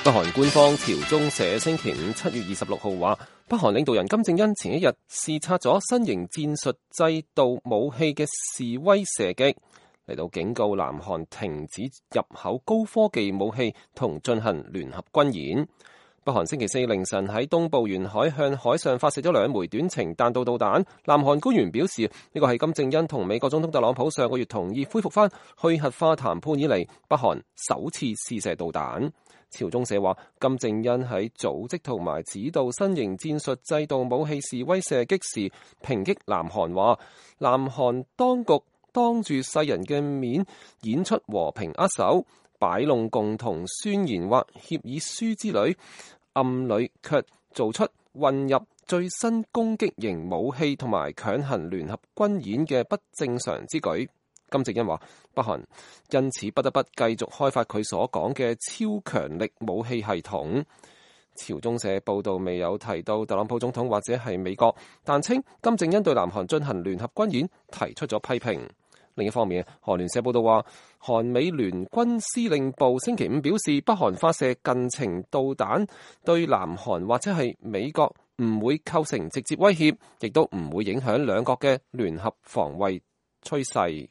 北韓官方朝中社星期五7月26號話，北韓領導人金正恩前一日視察咗新型戰術制導武器嘅示威射擊，嚟到警告南韓停止入口高科技武器同進行聯合軍演。北韓星期四凌晨喺東部沿海向海上發射咗2枚短程彈道導彈。南韓官員表示，呢個係金正恩同美國總統特朗普上個月同意恢復翻去核化談判以嚟，北韓首次試射導彈。朝中社話，金正恩喺組織同埋指導新型戰術制導武器示威射擊時，抨擊南韓話，南韓當局當住世人嘅面演出和平握手，擺弄共同宣言或協議書之類，暗裏卻做出混入最新攻擊型武器同埋強行聯合軍演嘅不正常之舉。金正恩話，北韓因此不得不繼續開發佢所講嘅超強力武器系統。朝中社報道未有提到特朗普總統或者係美國，但稱金正恩對南韓進行聯合軍演提出咗批評。另一方面，韓聯社報道話，韓美聯軍司令部星期五表示，北韓發射近程導彈對南韓或者係美國唔會構成直接威脅，亦都唔會影響兩國嘅聯合防衛趨勢。